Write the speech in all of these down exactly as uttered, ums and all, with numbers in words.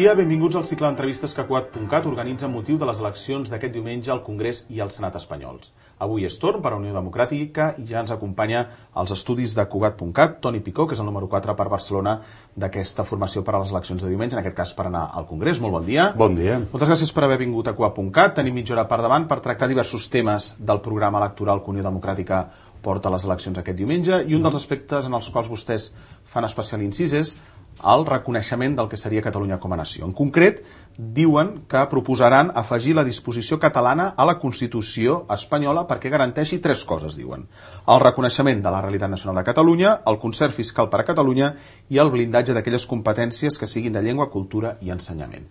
dia, benvinguts al cicle d'entrevistes que Cugat punt cat organitza amb motiu de les eleccions d'aquest diumenge al Congrés i al Senat espanyols. Avui és torn per a Unió Democràtica i ja ens acompanya als estudis de Cugat punt cat Toni Picó, que és el número quatre per Barcelona d'aquesta formació per a les eleccions de diumenge, en aquest cas per anar al Congrés. Molt bon dia. Bon dia. Moltes gràcies per haver vingut a Cugat punt cat. Tenim mitja hora per davant per tractar diversos temes del programa electoral que Unió Democràtica porta a les eleccions aquest diumenge, i un dels aspectes en els quals vostès fan especial incís és el reconeixement del que seria Catalunya com a nació. En concret, diuen que proposaran afegir la disposició catalana a la Constitució espanyola perquè garanteixi tres coses, diuen. El reconeixement de la realitat nacional de Catalunya, el concert fiscal per a Catalunya i el blindatge d'aquelles competències que siguin de llengua, cultura i ensenyament.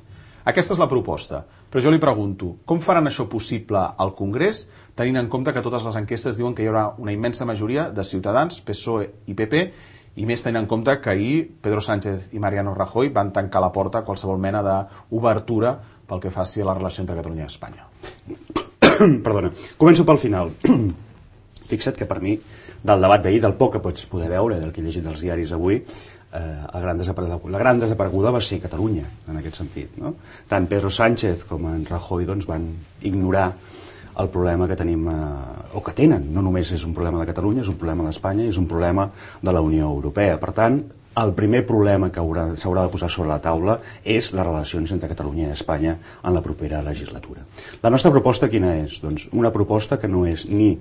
Aquesta és la proposta, però jo li pregunto, com faran això possible al Congrés, tenint en compte que totes les enquestes diuen que hi haurà una immensa majoria de Ciutadans, P S O E i P P, i més tenint en compte que ahir Pedro Sánchez i Mariano Rajoy van tancar la porta a qualsevol mena d'obertura pel que faci a la relació entre Catalunya i Espanya. Perdona, començo pel final. Fixa't que per mi, del debat d'ahir, del poc que pots poder veure, del que he llegit dels diaris avui, eh, el gran la gran desapareguda va ser Catalunya, en aquest sentit, no? Tant Pedro Sánchez com en Rajoy doncs, van ignorar el problema que tenim, eh, o que tenen. No només és un problema de Catalunya, és un problema d'Espanya, és un problema de la Unió Europea. Per tant, el primer problema que s'haurà de posar sobre la taula és les relacions entre Catalunya i Espanya en la propera legislatura. La nostra proposta quina és? Doncs una proposta que no és ni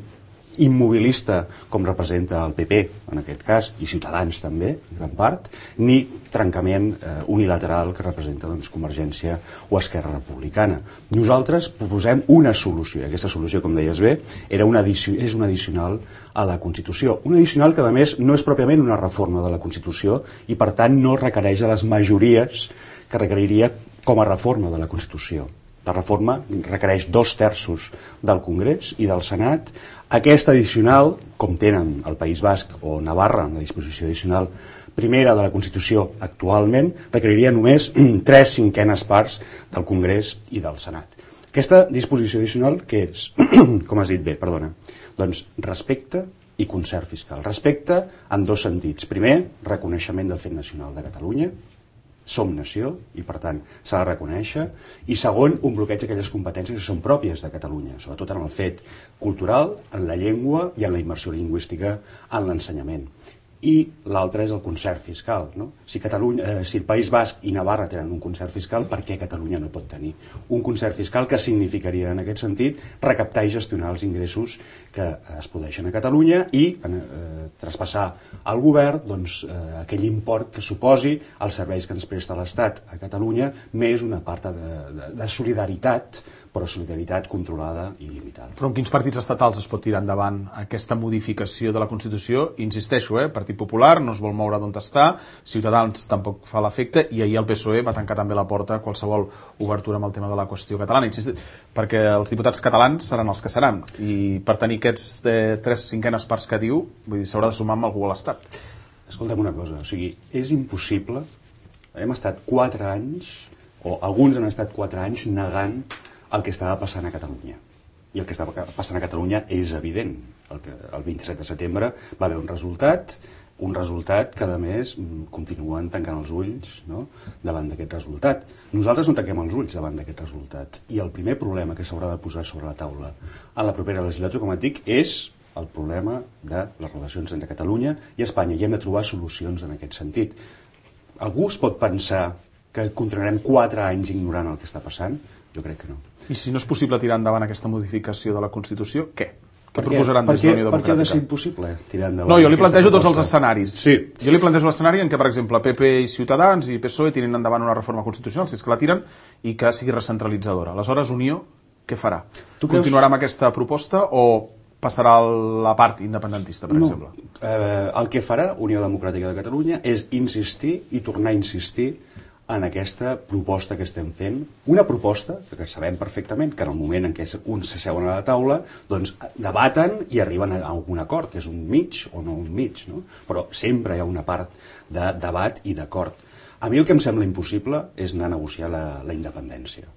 immobilista, com representa el P P, en aquest cas, i Ciutadans també, en gran part, ni trencament eh, unilateral que representa doncs, Convergència o Esquerra Republicana. Nosaltres proposem una solució, i aquesta solució, com deies bé, era una addici- és una addicional a la Constitució. Una addicional que, a més, no és pròpiament una reforma de la Constitució i, per tant, no requereix de les majories que requeriria com a reforma de la Constitució. La reforma requereix dos terços del Congrés i del Senat. Aquesta addicional, com tenen el País Basc o Navarra, la disposició addicional primera de la Constitució actualment, requeriria només tres cinquenes parts del Congrés i del Senat. Aquesta disposició addicional, què és? Com has dit bé, perdona. Doncs respecte i concert fiscal. Respecte en dos sentits. Primer, reconeixement del fet nacional de Catalunya. Som nació i, per tant, s'ha de reconèixer. I segon, un bloqueig d'aquelles competències que són pròpies de Catalunya, sobretot en el fet cultural, en la llengua i en la immersió lingüística en l'ensenyament. I l'altre és el concert fiscal, no? Si, Catalunya, eh, si el País Basc i Navarra tenen un concert fiscal, per què Catalunya no pot tenir un concert fiscal que significaria, en aquest sentit, recaptar i gestionar els ingressos que es produeixen a Catalunya i eh, traspassar al govern doncs, eh, aquell import que suposi els serveis que ens presta l'Estat a Catalunya, més una part de, de, de solidaritat, però solidaritat controlada i limitada. Però en quins partits estatals es pot tirar endavant aquesta modificació de la Constitució? Insisteixo, eh, Partit Popular no es vol moure d'on està, Ciutadans tampoc fa l'efecte, i ahir el P S O E va tancar també la porta a qualsevol obertura amb el tema de la qüestió catalana. Insisteixo, perquè els diputats catalans seran els que seran, i per tenir aquests eh, tres cinquenes parts que diu, vull dir, s'haurà de sumar amb algú a l'Estat. Escolta'm una cosa, o sigui, és impossible. Hem estat quatre anys, o alguns han estat quatre anys negant el que estava passant a Catalunya. I el que estava passant a Catalunya és evident. El, que, el vint-i-set de setembre va haver un resultat, un resultat que, a més, continuen tancant els ulls, no?, davant d'aquest resultat. Nosaltres no tanquem els ulls davant d'aquest resultat. I el primer problema que s'haurà de posar sobre la taula en la propera legislatura, com et dic, és el problema de les relacions entre Catalunya i Espanya. I hem de trobar solucions en aquest sentit. Algú es pot pensar que continuarem quatre anys ignorant el que està passant? Jo crec que no. I si no és possible tirar endavant aquesta modificació de la Constitució, què? Què per proposaran per des de la Unió Per què ha de ser Democràtica? impossible tirar endavant? No, jo li plantejo aquesta tots els proposta? escenaris. Sí. Jo li plantejo l'escenari en què, per exemple, P P i Ciutadans i P S O E tirin endavant una reforma constitucional, si és que la tiren, i que sigui recentralitzadora. Aleshores, Unió, què farà? Tu creus- Continuarà amb aquesta proposta o passarà a la part independentista, per No. exemple? Eh, el que farà Unió Democràtica de Catalunya és insistir i tornar a insistir en aquesta proposta que estem fent, una proposta que sabem perfectament que en el moment en què uns s'asseuen a la taula doncs debaten i arriben a un acord, que és un mig o no un mig, no? Però sempre hi ha una part de debat i d'acord. A mi el que em sembla impossible és anar a negociar la, la independència.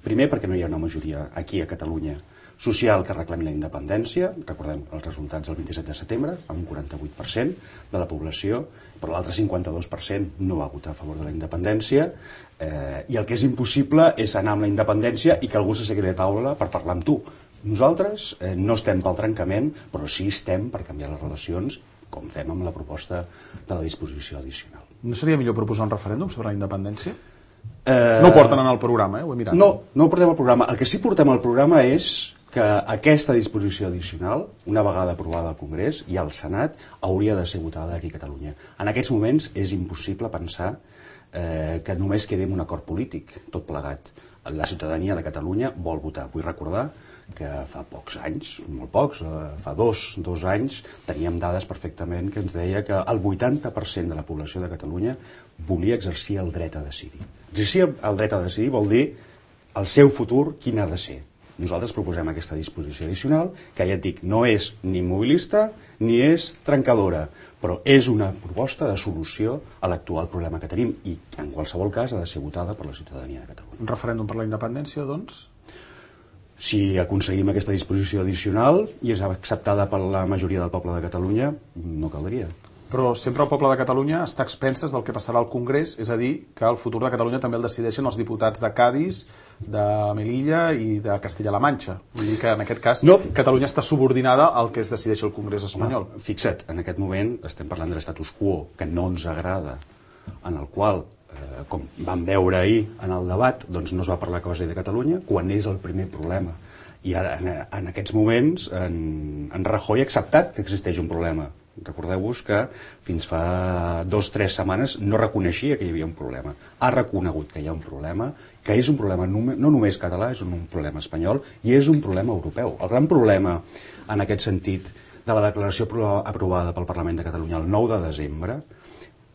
Primer perquè no hi ha una majoria aquí a Catalunya social que reclami la independència, recordem els resultats del vint-i-set de setembre, amb un quaranta-vuit per cent de la població, però l'altre cinquanta-dos per cent no va votar a favor de la independència, eh, i el que és impossible és anar amb la independència i que algú s'assegui a la taula per parlar amb tu. Nosaltres eh, no estem pel trencament, però sí estem per canviar les relacions, com fem amb la proposta de la disposició addicional. No seria millor proposar un referèndum sobre la independència? Eh... No ho porten en el programa, eh? Ho he mirat. No, no ho portem al programa. El que sí portem al programa és que aquesta disposició addicional, una vegada aprovada al Congrés i al Senat, hauria de ser votada aquí a Catalunya. En aquests moments és impossible pensar eh, que només quedi un acord polític, tot plegat. La ciutadania de Catalunya vol votar. Vull recordar que fa pocs anys, molt pocs, eh, fa dos, dos anys, teníem dades perfectament que ens deia que el vuitanta per cent de la població de Catalunya volia exercir el dret a decidir. Exercir el dret a decidir vol dir el seu futur quin ha de ser. Nosaltres proposem aquesta disposició addicional, que ja et dic, no és ni immobilista ni és trencadora, però és una proposta de solució a l'actual problema que tenim i, en qualsevol cas, ha de ser votada per la ciutadania de Catalunya. Un referèndum per la independència, doncs? Si aconseguim aquesta disposició addicional i és acceptada per la majoria del poble de Catalunya, no caldria. Però sempre el poble de Catalunya està a expenses del que passarà al Congrés, és a dir, que el futur de Catalunya també el decideixen els diputats de Cádiz, de Melilla i de Castilla-La Manxa. Vull dir que en aquest cas no. Catalunya està subordinada al que es decideix el Congrés espanyol. No, fixa't, en aquest moment estem parlant de l'estatus quo, que no ens agrada, en el qual, eh, com vam veure ahir en el debat, doncs no es va parlar cosa de Catalunya, quan és el primer problema. I ara, en, en aquests moments, en, en Rajoy ha acceptat que existeix un problema. Recordeu-vos que fins fa dos o tres setmanes no reconeixia que hi havia un problema. Ha reconegut que hi ha un problema, que és un problema no només català, és un problema espanyol i és un problema europeu. El gran problema en aquest sentit de la declaració aprovada pel Parlament de Catalunya el nou de desembre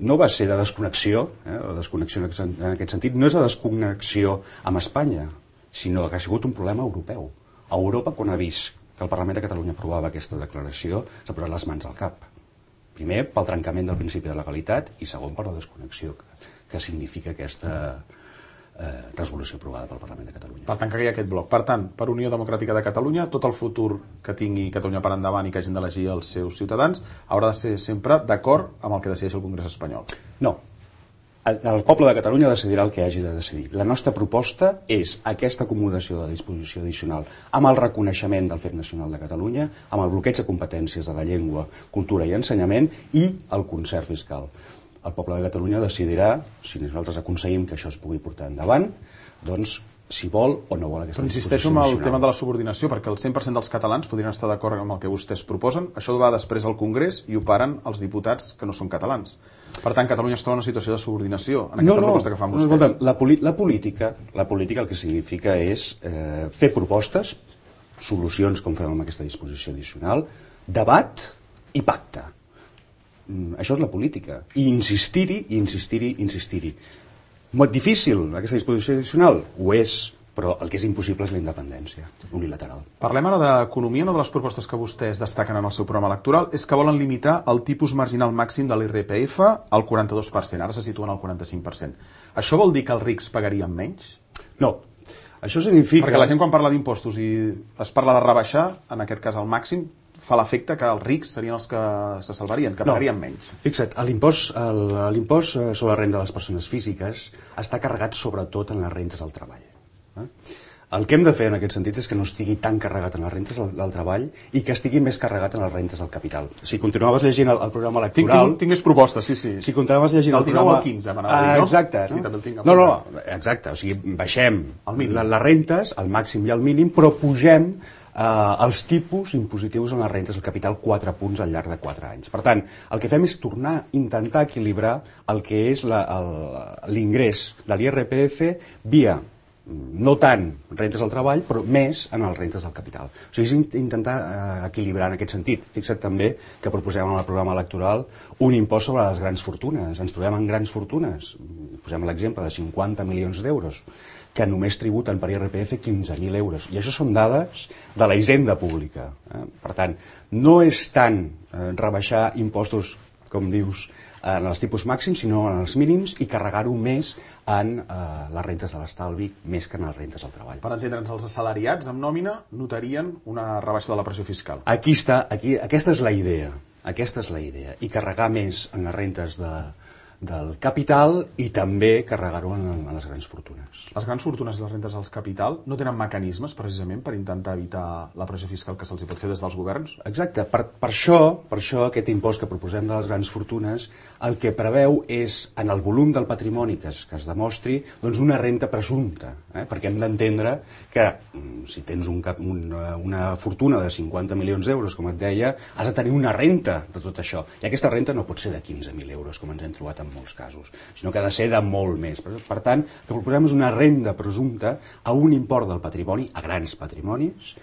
no va ser de desconnexió, eh, o desconnexió en aquest sentit, no és de desconnexió amb Espanya, sinó que ha sigut un problema europeu. A Europa, quan ha vist que el Parlament de Catalunya aprovava aquesta declaració, s'ha posat les mans al cap. Primer, pel trencament del principi de legalitat i segon, per la desconnexió que, que significa aquesta eh, resolució aprovada pel Parlament de Catalunya. Per tant, que hi ha aquest bloc. Per tant, per Unió Democràtica de Catalunya, tot el futur que tingui Catalunya per endavant i que hagin d'elegir els seus ciutadans haurà de ser sempre d'acord amb el que decideix el Congrés espanyol. No. El poble de Catalunya decidirà el que hagi de decidir. La nostra proposta és aquesta acomodació de disposició addicional amb el reconeixement del fet nacional de Catalunya, amb el bloqueig de competències de la llengua, cultura i ensenyament i el concert fiscal. El poble de Catalunya decidirà, si nosaltres aconseguim que això es pugui portar endavant, doncs si vol o no vol aquesta Però insisteixo en el tema de la subordinació, perquè el cent per cent dels catalans podrien estar d'acord amb el que vostès proposen. Això va després al Congrés i ho paren els diputats que no són catalans. Per tant, Catalunya es troba en una situació de subordinació en aquesta no, no, proposta que fan vostès. No, escolta, la, la, política, la política el que significa és eh, fer propostes, solucions com fem amb aquesta disposició addicional, debat i pacte. Mm, això és la política. I insistir-hi, insistir-hi, insistir-hi. Molt difícil, aquesta disposició addicional? Ho és, però el que és impossible és la independència unilateral. Parlem ara d'economia. Una de les propostes que vostès destaquen en el seu programa electoral és que volen limitar el tipus marginal màxim de l'I R P F al quaranta-dos per cent. Ara se situen al quaranta-cinc per cent. Això vol dir que els rics pagarien menys? No. Això significa... Perquè la gent quan parla d'impostos i es parla de rebaixar, en aquest cas el màxim, fa l'efecte que els rics serien els que se salvarien, que pagarien no. menys. Fixa't, l'impost sobre la renda de les persones físiques està carregat sobretot en les rentes del treball. Eh? El que hem de fer en aquest sentit és que no estigui tan carregat en les rentes del, del treball i que estigui més carregat en les rentes del capital. Si continuaves llegint el, el programa electoral... Tinc, tinc, tinc més propostes, sí, sí. Si continuaves llegint el, el programa... El dinou al quinze, m'anava ah, a dir, no? Exacte. Sí, no? també el tinc no, no, exacte. O sigui, baixem les, les rentes, al màxim i al mínim, però pugem Uh, els tipus impositius en les rentes del capital quatre punts al llarg de quatre anys. Per tant, el que fem és tornar a intentar equilibrar el que és l'ingrés de l'I R P F via, no tant rentes del treball, però més en les rentes del capital. O sigui, és intentar uh, equilibrar en aquest sentit. Fixa't també que proposem en el programa electoral un impost sobre les grans fortunes. Ens trobem en grans fortunes. Posem l'exemple de cinquanta milions d'euros que només tributen per I R P F quinze mil euros. I això són dades de la hisenda pública. Eh? Per tant, no és tant eh, rebaixar impostos com dius, en els tipus màxims, sinó en els mínims, i carregar-ho més en eh, les rentes de l'estalvi, més que en les rentes del treball. Per entendre'ns, els assalariats amb nòmina notarien una rebaixa de la pressió fiscal. Aquí està, aquí, aquesta és la idea, aquesta és la idea, i carregar més en les rentes de, del capital i també carregar-ho en, en les grans fortunes. Les grans fortunes i les rentes del capital no tenen mecanismes, precisament, per intentar evitar la pressió fiscal que se'ls pot fer des dels governs? Exacte. Per, per, això, per això aquest impost que proposem de les grans fortunes el que preveu és, en el volum del patrimoni que es, que es demostri, doncs una renta presumpta, eh? Perquè hem d'entendre que si tens un cap, una, una fortuna de cinquanta milions d'euros, com et deia, has de tenir una renta de tot això. I aquesta renta no pot ser de quinze mil euros, com ens hem trobat en molts casos, sinó que ha de ser de molt més. Per, per tant, el que proposem és una renda presumpta a un import del patrimoni, a grans patrimonis,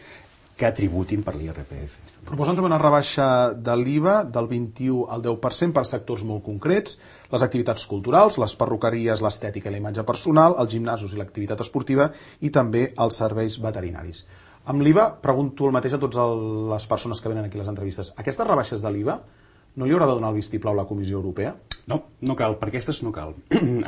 que tributin per l'I R P F. Proposen també una rebaixa de l'I V A del vint-i-u al deu per cent per sectors molt concrets, les activitats culturals, les perruqueries, l'estètica i la imatge personal, els gimnasos i l'activitat esportiva i també els serveis veterinaris. Amb l'I V A pregunto el mateix a totes les persones que venen aquí a les entrevistes. Aquestes rebaixes de l'I V A no li haurà de donar el vistiplau a la Comissió Europea? No, no cal, perquè aquestes no cal.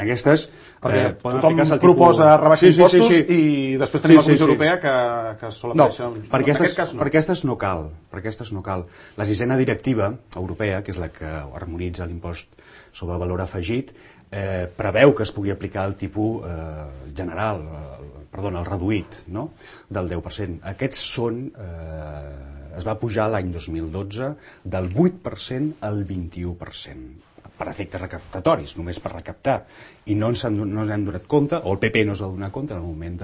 Aquestes perquè eh, poden tothom aplicar-se al proposa tipus... rebaixar sí, sí, impostos sí, sí. i després tenim sí, la Comissió sí, sí. Europea que, que sol No, aparèixer... per aquestes, en aquest cas no. per aquestes no cal. Per aquestes no cal. La sisena directiva europea, que és la que harmonitza l'impost sobre el valor afegit, eh, preveu que es pugui aplicar el tipus eh, general, eh, perdona, el reduït, no?, del deu per cent. Aquests són... Eh, es va pujar l'any dos mil dotze del vuit per cent al vint-i-u per cent, per efectes recaptatoris, només per recaptar. I no ens, han, no ens hem donat compte, o el P P no es va donar compte en el moment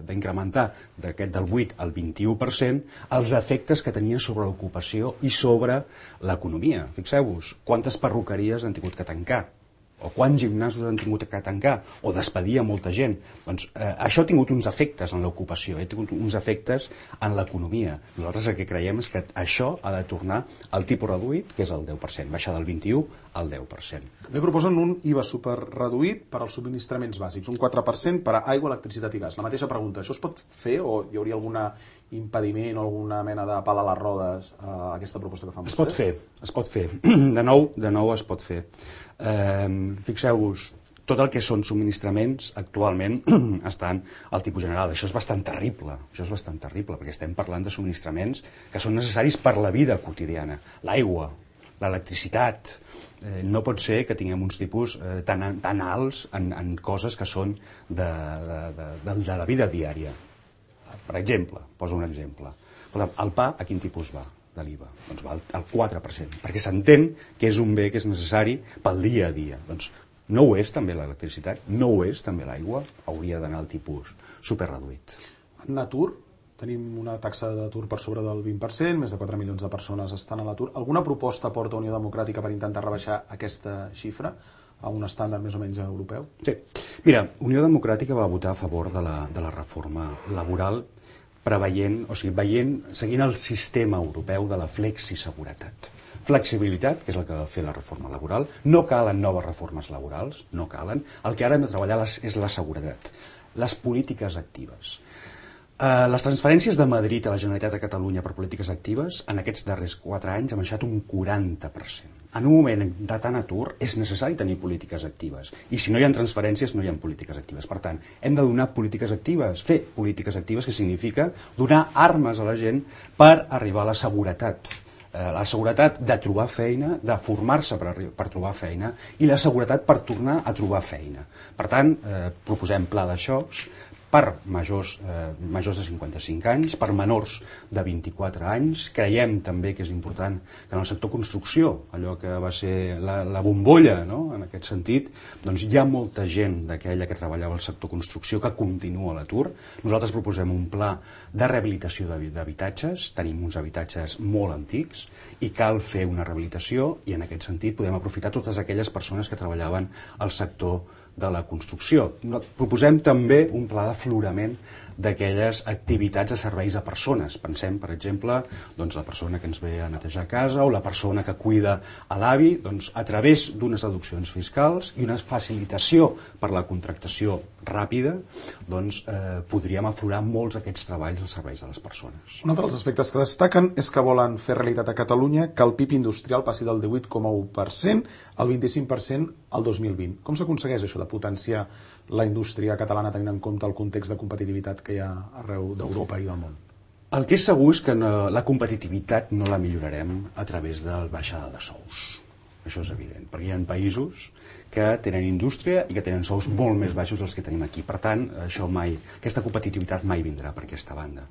d'incrementar d'aquest del vuit al vint-i-u per cent els efectes que tenia sobre l'ocupació i sobre l'economia. Fixeu-vos, quantes perruqueries han tingut que tancar, o quants gimnasos han tingut que tancar, o despedir a molta gent. Doncs eh, això ha tingut uns efectes en l'ocupació, ha tingut uns efectes en l'economia. Nosaltres el que creiem és que això ha de tornar al tipus reduït, que és el deu per cent, baixar del vint-i-u al deu per cent. També proposen un I V A superreduït per als subministraments bàsics, un quatre per cent per a aigua, electricitat i gas. La mateixa pregunta, això es pot fer o hi hauria algun impediment o alguna mena de pal a les rodes a aquesta proposta que fan vostès? Es pot fer, es pot fer. De nou, de nou es pot fer. Eh, fixeu-vos, tot el que són subministraments actualment estan al tipus general. Això és bastant terrible, això és bastant terrible, perquè estem parlant de subministraments que són necessaris per la vida quotidiana. L'aigua, l'electricitat, eh, no pot ser que tinguem uns tipus eh, tan, tan alts en, en coses que són de, de, de, de, de la vida diària. Per exemple, poso un exemple. El pa, a quin tipus va de l'I V A? Doncs va al quatre per cent, perquè s'entén que és un bé que és necessari pel dia a dia. Doncs no ho és també l'electricitat, no ho és també l'aigua, hauria d'anar al tipus superreduït. En atur, tenim una taxa d'atur per sobre del vint per cent, més de quatre milions de persones estan a l'atur. Alguna proposta porta Unió Democràtica per intentar rebaixar aquesta xifra a un estàndard més o menys europeu? Sí. Mira, Unió Democràtica va votar a favor de la, de la reforma laboral preveient, o sigui, veient, seguint el sistema europeu de la flexiseguretat. Flexibilitat, que és el que va fer la reforma laboral, no calen noves reformes laborals, no calen, el que ara hem de treballar és la seguretat, les polítiques actives. Uh, les transferències de Madrid a la Generalitat de Catalunya per polítiques actives en aquests darrers quatre anys han baixat un quaranta per cent. En un moment de tant atur és necessari tenir polítiques actives, i si no hi ha transferències no hi ha polítiques actives. Per tant, hem de donar polítiques actives, fer polítiques actives, que significa donar armes a la gent per arribar a la seguretat. Eh, la seguretat de trobar feina, de formar-se per, per trobar feina, i la seguretat per tornar a trobar feina. Per tant, eh, proposem pla de xocs per majors, eh, majors de cinquanta-cinc anys, per menors de vint-i-quatre anys. Creiem també que és important que en el sector construcció, allò que va ser la, la bombolla, no?, en aquest sentit, doncs hi ha molta gent d'aquella que treballava al sector construcció que continua a l'atur. Nosaltres proposem un pla de rehabilitació d'habitatges, tenim uns habitatges molt antics i cal fer una rehabilitació, i en aquest sentit podem aprofitar totes aquelles persones que treballaven al sector de la construcció. Proposem també un pla d'aflorament d'aquelles activitats de serveis a persones. Pensem, per exemple, doncs, la persona que ens ve a netejar casa o la persona que cuida a l'avi, doncs, a través d'unes deduccions fiscals i una facilitació per la contractació ràpida, doncs, eh, podríem aflorar molts d'aquests treballs als serveis de les persones. Un altre dels aspectes que destaquen és que volen fer realitat a Catalunya que el P I B industrial passi del divuit coma u per cent al vint-i-cinc per cent al dos mil vint. Com s'aconsegueix això de potenciar la indústria catalana tenint en compte el context de competitivitat que hi ha arreu d'Europa i del món? El que és segur és que no, la competitivitat no la millorarem a través de la baixada de sous. Això és evident, perquè hi ha països que tenen indústria i que tenen sous molt més baixos dels que tenim aquí. Per tant, això mai, aquesta competitivitat mai vindrà per aquesta banda.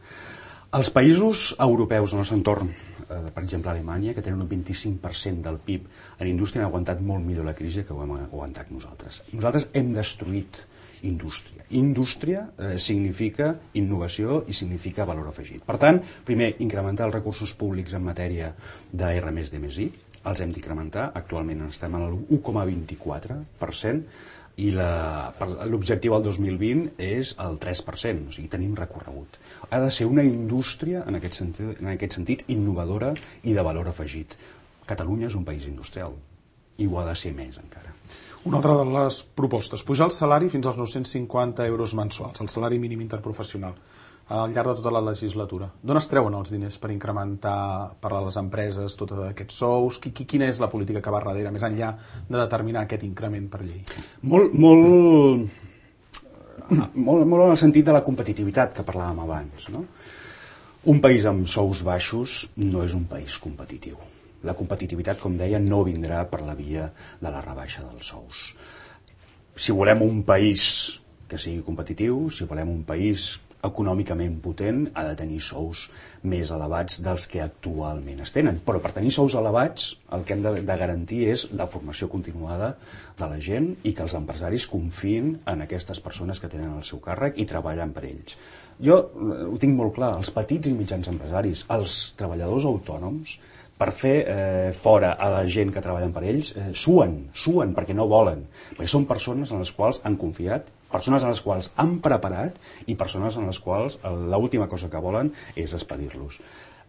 Els països europeus del nostre entorn, eh, per exemple Alemanya, que tenen un vint-i-cinc per cent del P I B en indústria, han aguantat molt millor la crisi que ho hem aguantat nosaltres. Nosaltres hem destruït indústria. Indústria eh, significa innovació i significa valor afegit. Per tant, primer, incrementar els recursos públics en matèria de R més D més I, els hem d'incrementar, actualment estem en l'u coma vint-i-quatre per cent, i l'objectiu al dos mil vint és el tres per cent, o sigui, tenim recorregut. Ha de ser una indústria, en aquest sentit, en aquest sentit innovadora i de valor afegit. Catalunya és un país industrial i ho ha de ser més encara. Una altra de les propostes, pujar el salari fins als nou-cents cinquanta euros mensuals, el salari mínim interprofessional, al llarg de tota la legislatura. D'on es treuen els diners per incrementar per a les empreses tots aquests sous? Quina és la política que va darrere, més enllà de determinar aquest increment per llei? Molt, molt, molt, molt en el sentit de la competitivitat que parlàvem abans, no? Un país amb sous baixos no és un país competitiu. La competitivitat, com deia, no vindrà per la via de la rebaixa dels sous. Si volem un país que sigui competitiu, si volem un país econòmicament potent, ha de tenir sous més elevats dels que actualment es tenen. Però per tenir sous elevats el que hem de, de garantir és la formació continuada de la gent i que els empresaris confiïn en aquestes persones que tenen el seu càrrec i treballen per ells. Jo ho tinc molt clar, els petits i mitjans empresaris, els treballadors autònoms, per fer eh, fora a la gent que treballen per ells, eh, suen, suen perquè no volen, perquè són persones en les quals han confiat, persones en les quals han preparat i persones en les quals l'última cosa que volen és despedir-los.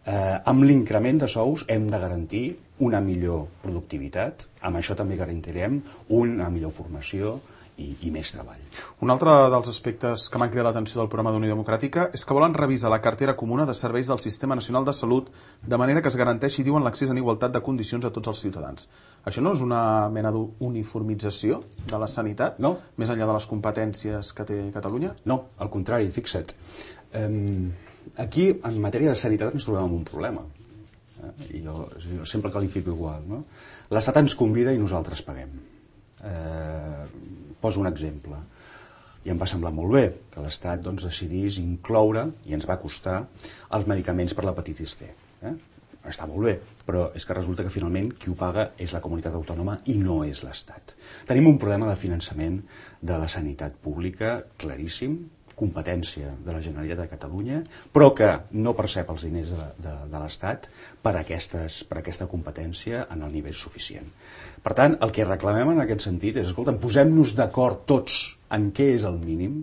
Eh, amb l'increment de sous hem de garantir una millor productivitat, amb això també garantirem una millor formació i, i més treball. Un altre dels aspectes que m'han cridat l'atenció del programa d'Unió Democràtica és que volen revisar la cartera comuna de serveis del Sistema Nacional de Salut de manera que es garanteixi, diuen, l'accés en igualtat de condicions a tots els ciutadans. Això no és una mena d'uniformització de la sanitat, no, més enllà de les competències que té Catalunya? No, al contrari, fixa't. Um, aquí, en matèria de sanitat, ens trobem amb un problema. Eh? I jo, jo sempre qualifico igual, no? L'Estat ens convida i nosaltres paguem. Eh, poso un exemple. I em va semblar molt bé que l'Estat doncs, decidís incloure, i ens va costar, els medicaments per l'hepatitis C. Eh? Està molt bé, però és que resulta que finalment qui ho paga és la comunitat autònoma i no és l'Estat. Tenim un problema de finançament de la sanitat pública claríssim, competència de la Generalitat de Catalunya, però que no percep els diners de, de, de l'Estat per, aquestes, per aquesta competència en el nivell suficient. Per tant, el que reclamem en aquest sentit és, escolta, posem-nos d'acord tots en què és el mínim,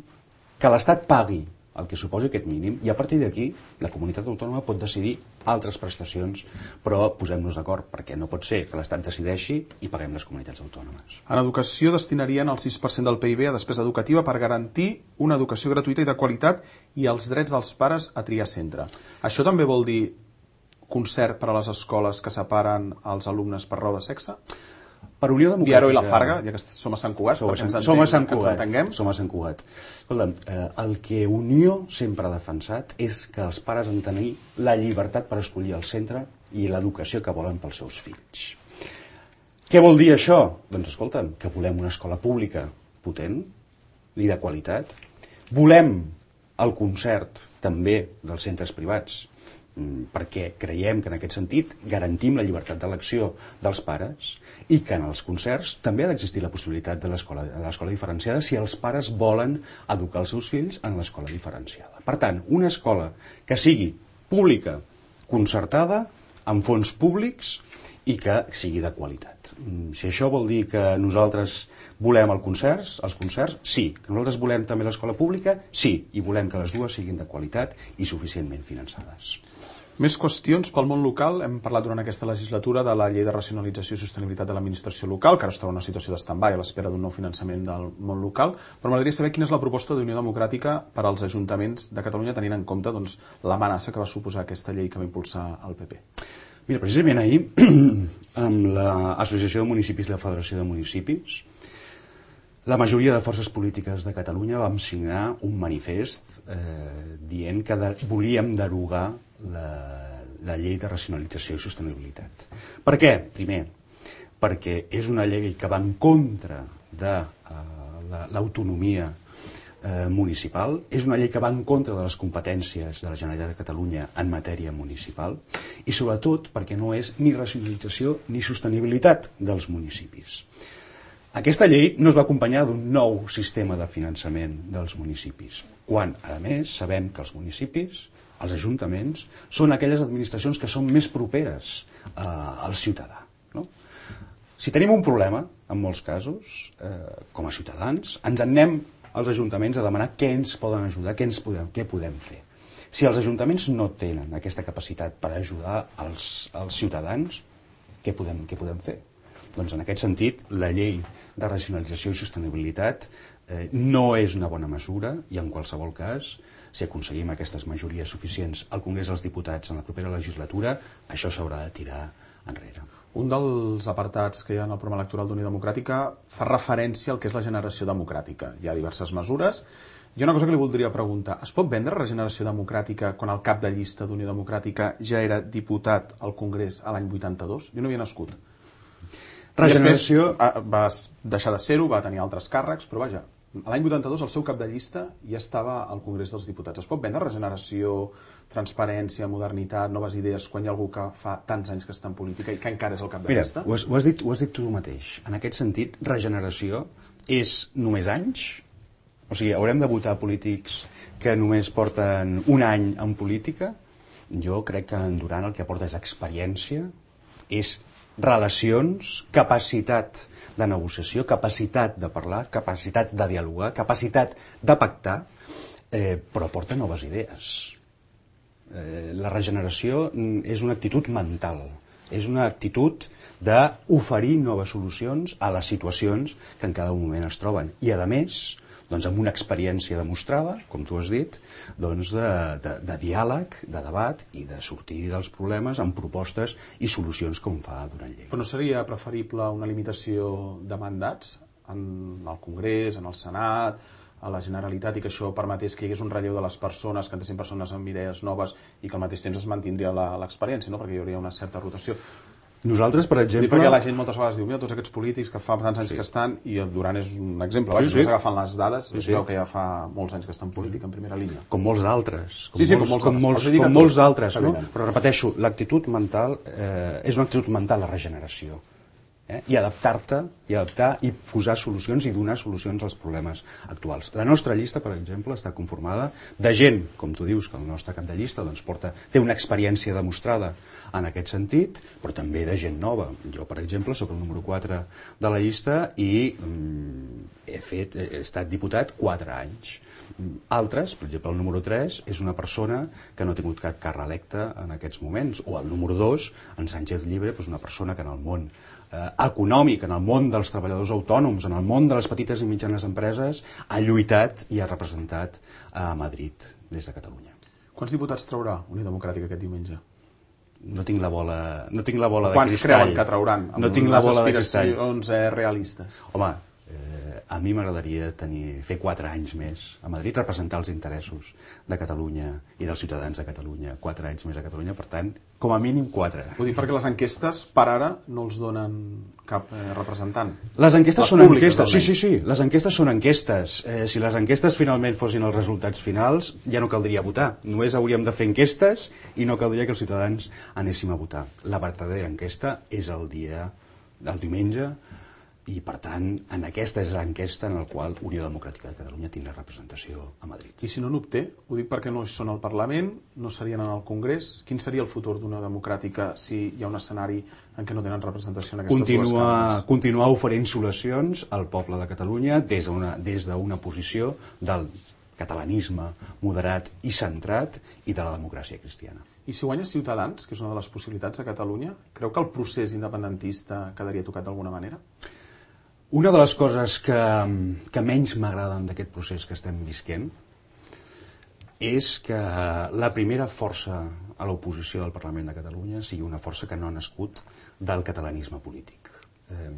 que l'Estat pagui el que suposi aquest mínim, i a partir d'aquí la comunitat autònoma pot decidir altres prestacions, però posem-nos d'acord, perquè no pot ser que l'Estat decideixi i paguem les comunitats autònomes. En educació destinarien el sis per cent del P I B a despesa educativa per garantir una educació gratuïta i de qualitat i els drets dels pares a triar centre. Això també vol dir concert per a les escoles que separen els alumnes per raó de sexe? Per Unió Democràtica... Viaro i la Farga, ja que som a Sant Cugat, som a Sant, ens som a Sant que ens Cugat, entenguem. Som a Sant Cugat. Escolta'm, eh, el que Unió sempre ha defensat és que els pares han de tenir la llibertat per escollir el centre i l'educació que volen pels seus fills. Què vol dir això? Doncs escolta'm, que volem una escola pública potent i de qualitat. Volem el concert també dels centres privats, perquè creiem que en aquest sentit garantim la llibertat d'elecció dels pares i que en els concerts també ha d'existir la possibilitat de l'escola diferenciada si els pares volen educar els seus fills en l'escola diferenciada. Per tant, una escola que sigui pública, concertada, amb fons públics i que sigui de qualitat. Si això vol dir que nosaltres volem el concerts, els concerts, sí. Que nosaltres volem també l'escola pública, sí. I volem que les dues siguin de qualitat i suficientment finançades. Més qüestions pel món local. Hem parlat durant aquesta legislatura de la llei de racionalització i sostenibilitat de l'administració local, que ara es troba en una situació d'stand-by a l'espera d'un nou finançament del món local, però m'agradaria saber quina és la proposta d'Unió Democràtica per als ajuntaments de Catalunya, tenint en compte doncs, l'amenaça que va suposar aquesta llei que va impulsar el P P. Mira, precisament ahir, amb l'Associació de Municipis i la Federació de Municipis, la majoria de forces polítiques de Catalunya vam signar un manifest eh, dient que de, volíem derogar la, la llei de racionalització i sostenibilitat. Per què? Primer, perquè és una llei que va en contra de eh, l'autonomia eh, municipal, és una llei que va en contra de les competències de la Generalitat de Catalunya en matèria municipal i sobretot perquè no és ni racionalització ni sostenibilitat dels municipis. Aquesta llei no es va acompanyar d'un nou sistema de finançament dels municipis, quan, a més, sabem que els municipis, els ajuntaments, són aquelles administracions que són més properes eh, al ciutadà. No? Si tenim un problema, en molts casos, eh, com a ciutadans, ens en anem als ajuntaments a demanar què ens poden ajudar, què, ens podem, què podem fer. Si els ajuntaments no tenen aquesta capacitat per ajudar els, els ciutadans, què podem, què podem fer? Doncs en aquest sentit, la llei de racionalització i sostenibilitat eh, no és una bona mesura i en qualsevol cas, si aconseguim aquestes majories suficients al Congrés dels Diputats en la propera legislatura, això s'haurà de tirar enrere. Un dels apartats que hi ha en el programa electoral d'Unió Democràtica fa referència al que és la generació democràtica. Hi ha diverses mesures. Hi ha una cosa que li voldria preguntar. Es pot vendre regeneració democràtica quan el cap de llista d'Unió Democràtica ja era diputat al Congrés a l'any vuitanta-dos? Jo no havia nascut. Regeneració... Després va deixar de ser-ho, va tenir altres càrrecs, però vaja, a l'any vuitanta-dos el seu cap de llista ja estava al Congrés dels Diputats. Es pot vendre regeneració, transparència, modernitat, noves idees, quan hi ha algú que fa tants anys que està en política i que encara és el cap de Mira, llista? Ho has, ho, has dit, ho has dit tu mateix. En aquest sentit, regeneració és només anys? O sigui, haurem de votar polítics que només porten un any en política? Jo crec que en Duran el que aporta és experiència, és relacions, capacitat de negociació, capacitat de parlar, capacitat de dialogar, capacitat de pactar, eh, però aporta noves idees. Eh, la regeneració és una actitud mental, és una actitud d'oferir noves solucions a les situacions que en cada moment es troben. I, a més, doncs, amb una experiència demostrada, com tu has dit, doncs de, de, de diàleg, de debat i de sortir dels problemes amb propostes i solucions com fa Duran Lleida. Però no seria preferible una limitació de mandats en el Congrés, en el Senat, a la Generalitat, i que això permetés que hi hagués un relleu de les persones, que entessin persones amb idees noves i que al mateix temps es mantindria l'experiència, no? Perquè hi hauria una certa rotació. Nosaltres, per exemple... Sí, perquè la gent moltes vegades diu, mira, tots aquests polítics que fa tants anys sí. que estan, i el Duran és un exemple, sí, sí. agafant les dades, sí, sí. veu que ja fa molts anys que està en política en primera línia. Com molts d'altres. Com, sí, sí, molts, com molts, com molts, com molts d'altres, no? Però repeteixo, l'actitud mental eh, és una actitud mental, la regeneració. Eh? I adaptar-te, i adaptar i posar solucions i donar solucions als problemes actuals. La nostra llista, per exemple, està conformada de gent, com tu dius, que el nostre cap de llista doncs, porta, té una experiència demostrada en aquest sentit, però també de gent nova. Jo, per exemple, sóc el número quatre de la llista i mm, he, fet, he estat diputat quatre anys. Altres, per exemple, el número tres és una persona que no ha tingut cap càrrec electe en aquests moments, o el número dos, en Sánchez Llibre, és una persona que en el món eh, econòmic, en el món dels treballadors autònoms, en el món de les petites i mitjanes empreses, ha lluitat i ha representat a Madrid des de Catalunya. Quants diputats traurà Unió Democràtica aquest diumenge? No tinc la bola, no tinc la bola de Quants cristall. Quants creuen que trauran? Amb no tinc la bola de cristall. Aspiracions eh, realistes. Home, eh, a mi m'agradaria tenir, fer quatre anys més a Madrid, representar els interessos de Catalunya i dels ciutadans de Catalunya. Quatre anys més a Catalunya, per tant, com a mínim quatre. Ho dic perquè les enquestes, per ara, no els donen cap eh, representant. Les enquestes les són públiques, enquestes, sí, sí, sí, les enquestes són enquestes. Eh, si les enquestes finalment fossin els resultats finals, ja no caldria votar. Només hauríem de fer enquestes i no caldria que els ciutadans anéssim a votar. La verdadera enquesta és el dia, el diumenge, I, per tant, en aquesta és l'enquesta en la qual Unió Democràtica de Catalunya tindrà representació a Madrid. I si no n'obté? Ho dic perquè no són al Parlament, no serien en el Congrés. Quin seria el futur d'Unió Democràtica si hi ha un escenari en què no tenen representació en aquestes Continua, dues cambres? Continuar oferint solucions al poble de Catalunya des d'una des d'una posició del catalanisme moderat i centrat i de la democràcia cristiana. I si guanya Ciutadans, que és una de les possibilitats a Catalunya, creu que el procés independentista quedaria tocat d'alguna manera? Una de les coses que, que menys m'agraden d'aquest procés que estem visquent és que la primera força a l'oposició del Parlament de Catalunya sigui una força que no ha nascut del catalanisme polític. Eh,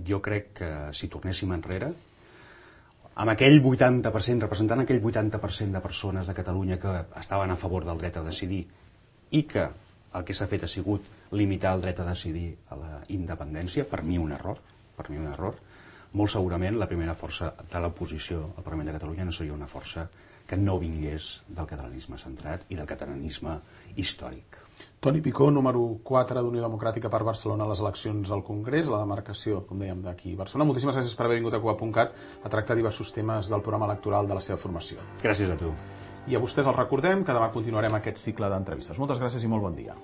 jo crec que si tornéssim enrere, amb aquell vuitanta per cent, representant aquell vuitanta per cent de persones de Catalunya que estaven a favor del dret a decidir i que el que s'ha fet ha sigut limitar el dret a decidir a la independència, per mi un error, per mi un error, molt segurament la primera força de l'oposició al Parlament de Catalunya no seria una força que no vingués del catalanisme centrat i del catalanisme històric. Toni Picó, número quatre d'Unió Democràtica per Barcelona a les eleccions al Congrés, a la demarcació, com dèiem, d'aquí Barcelona. Moltíssimes gràcies per haver vingut a Cuba punt cat a tractar diversos temes del programa electoral de la seva formació. Gràcies a tu. I a vostès els recordem que demà continuarem aquest cicle d'entrevistes. Moltes gràcies i molt bon dia.